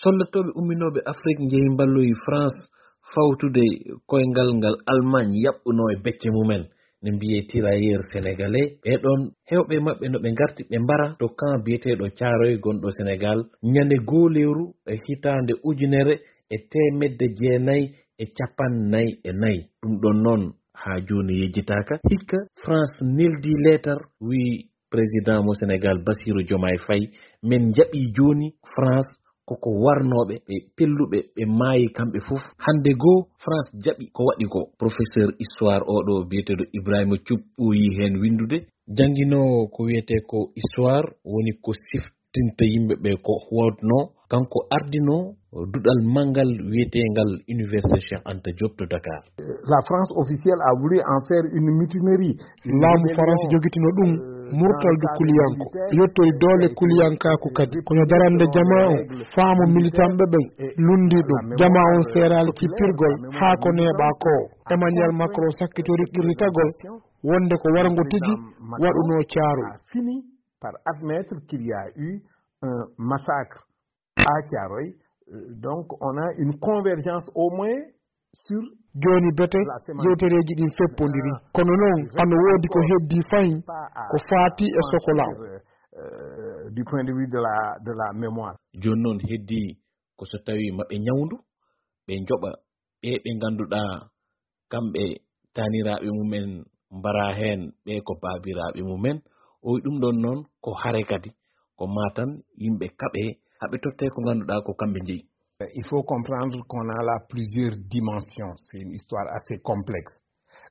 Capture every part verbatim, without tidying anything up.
Soldattooɓe umminooɓe Afrik njehi mballoyi France fawtude koyngal ngal Allemagne yaɓɓunoo e becce mumen, ne mbiyee tirailleurs sénégalais. Ɓee ɗoon, heewɓe maɓɓe no ɓe ngarti ɓe mbara to camp biyeteeɗo Caaroy gonɗo Sénégal, ñande goo lewru e hitaande ujunere e teemedde jeenayi e cappanɗe nayi e nayi. Ɗum ɗoon noon, haa jooni yejjitaaka. Hikka, France neldi leetar, wiyi président mo Sénégal, Bassirou Diomaye Faye, men njaɓii jooni France koko warnooɓe, ɓe pelluɓe, ɓe maayi kamɓe fof. Hannde goo, France jaɓi ko waɗi ko. Professeur histoire oɗo biyeteeɗo Ibrahima Thioub ɓooyi heen winndude. Jannginoowo ko wiyetee ko histoire, woni ko siftinta yimɓe ɓe ko waɗnoo. Kanko ardinoo duɗal manngal wiyeteengal Université Cheikh Anta Diop to Dakar. La France officielle a voulu en faire une mutinerie. Laamu Faransi jogitino ɗum murtaldu kuliyanko, yottori doole kuliyankaaku kadi. Kono darande jamaa on, faamu militanɓe ɓen lundi ɗum. Jamaa on seeraali kippirgol haa ko neeɓaa ko. Emmanuel Macron sakkitori qirritagol wonde ko warngo tigi waɗunoo Caaroy. A fini par admettre qu'il y a eu un massacre à Thiaroye. Euh, donc, on a une convergence au moins sur. Jooni bete, yewtereeji ɗin feppondiri. Kono noon, hano woodi ko heddii fahin ko faati e sokolaaw. Euh, du point de vue de la, de la mémoire. Jooni noon heddii ko so tawii maɓe ñawndu, ɓe njoɓa ɓe ɓe ngannduɗaa kamɓe taaniraaɓe mumen mbaraa heen, ɓe ko baabiraaɓe mumen. O wi ɗum ɗoon noon ko hare kadi, ko maa tan yimɓe kaɓe, haɓe tottee ko ngannduɗaa ko kamɓe njeyi. Il faut comprendre qu'on a là plusieurs dimensions. C'est une histoire assez complexe.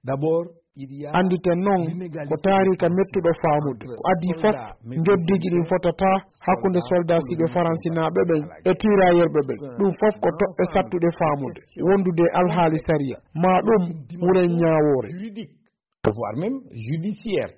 D'abord, il y a. Annditen noon, ko taariika mettuɗo faamude. Ko adii fof, njoddiiji ɗin fotataa hakkunde soldaasiiɓe faransinaaɓe ɓen e tiiraayerɓe ɓen. Ɗum fof ko toɓɓe sattuɗe faamude, wondude e alhaali sariya. Maa ɗum wuren ñaawoore. Voire même judiciaire.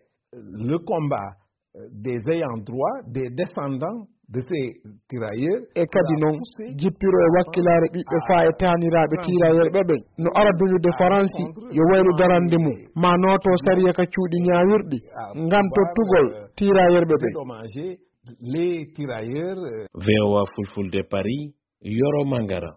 Le combat, euh, des ayants droit, des descendants de ces tirailleurs. E kadi noon, jippiro e wakkilaare ɓiɓɓe faa e taaniraaɓe tiiraayerɓe ɓen no ara duñude Faransi yo waylu darande mum, maa nooto sariya ka cuuɗi ñaawirɗi ngam tottugol tiiraayerɓe ɓen. Dédommager les tirailleurs, euh. V O A Fulfulde Paris, Yoro Mangara.